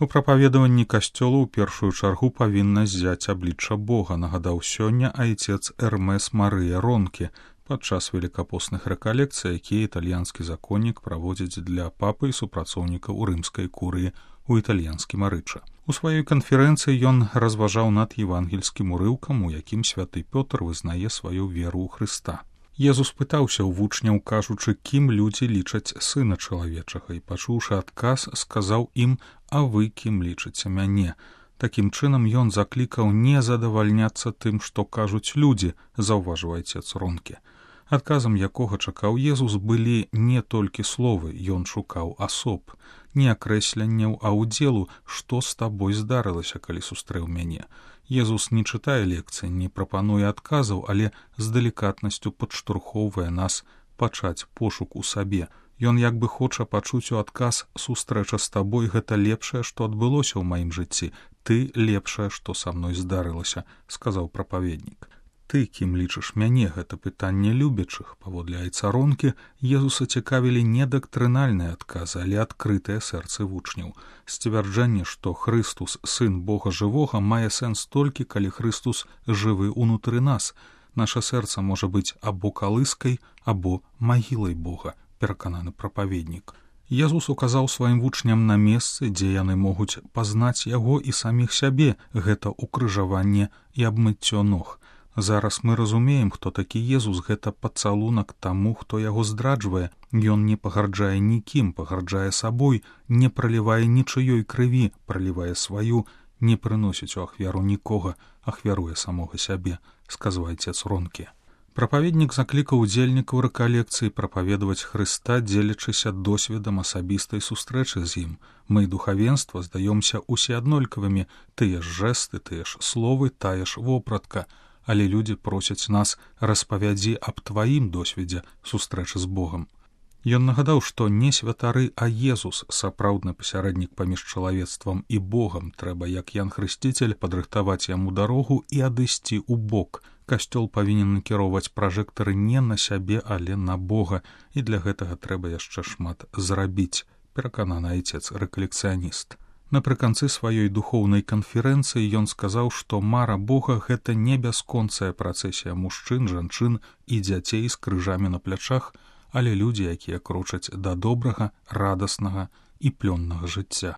У прапаведаванні касцёла ў першую чаргу павінна ззяць аблічча Бога, нагадаў сёння айцец Эрмес Марыя Ронке падчас велікапостных рэкалекцый, якія італьянскі законнік праводзіць для папы і супрацоўнікаў рымскай курыі у італьянскім Арыча. У сваёй канферэнцыі ён разважаў над евангельскім урыўкам, у якім святы Пётр вызнае сваю веру ў Хрыста. Езус пытаўся ў вучняў, кажучы, кім людзі лічаць сына чалавечага, і, пачуўшы адказ, сказаў ім: «А вы кім лічыце мяне?» Такім чынам ён заклікаў не задавальняцца тым, што кажуць людзі, заўважыў айцец Ронке. Адказам якога чакаў Езус былі не толькі словы, ён шукаў асоб, не акрэсленняў, а ўдзелу, што з табой здарылася, калі сустрэў мяне. Езус не чытае лекцыі, не прапануе адказаў, але з далікатнасцю падштурхоўвае нас пачаць пошук у сабе. Ён як бы хоча пачуць у адказ: «Сустрэча з табой — гэта лепшае, што адбылося ў маім жыцці. Ты — лепшае, што са мной здарылася», — сказаў прапаведнік. Ты, кім лічыш мяне, гэта пытанне любячых. Паводле айца Ронке Езуса цікавілі не дактрынальныя адказы, але адкрытыя сэрцы вучняў. Сцвярджэнне, што Хрыстус, сын Бога жывога, мае сэнс толькі, калі Хрыстус жывы ўнутры нас. Наша сэрца можа быць або калыскай, або магілай Бога, перакананы прапаведнік. Езус указаў сваім вучням на месцы, дзе яны могуць пазнаць яго і саміх сябе, гэта укрыжаванне і абмыццё ног. Зараз мы разумеем, хто такі Езус, гэта пацалунак таму, хто яго зdraджвае. Ён не пагарджае нікім, пагарджае сабой, не пралівае нічыёй крыві, пралівае сваю, не прыносіць у ахвяру нікога, ахвяруе самога сябе, сказаў айцец Ронке. Прапаведнік заклікаў удзельнікаў рэкалекцыі прапаведаваць Хрыста, дзелячыся досведам асабістай сустрэчы з ім. Мы, духавенства, здаёмся усе аднолькавымі, тыя ж жэсты, тыя ж словы, тая ж вопратка. Але людзі просяць нас: распавядзі аб тваім досведзе сустрэчы з Богам. Ён нагадаў, што не святары, а Езус, сапраўдны пасярэднік паміж чалавецтвам і Богам. Трэба, як Ян Хрысціцель, падрыхтаваць яму дарогу і адысці ў бок. Касцёл павінен накіроўваць пражэктары не на сябе, але на Бога, і для гэтага трэба яшчэ шмат зрабіць, перакананы айцец рэкалекцыяніст. Напрыканцы сваёй духоўнай канферэнцыі ён сказаў, што мара Бога — гэта не бясконцая працэсія мужчын, жанчын і дзяцей з крыжамі на плячах, але людзі, якія крочаць да добрага, радаснага і плённага жыцця.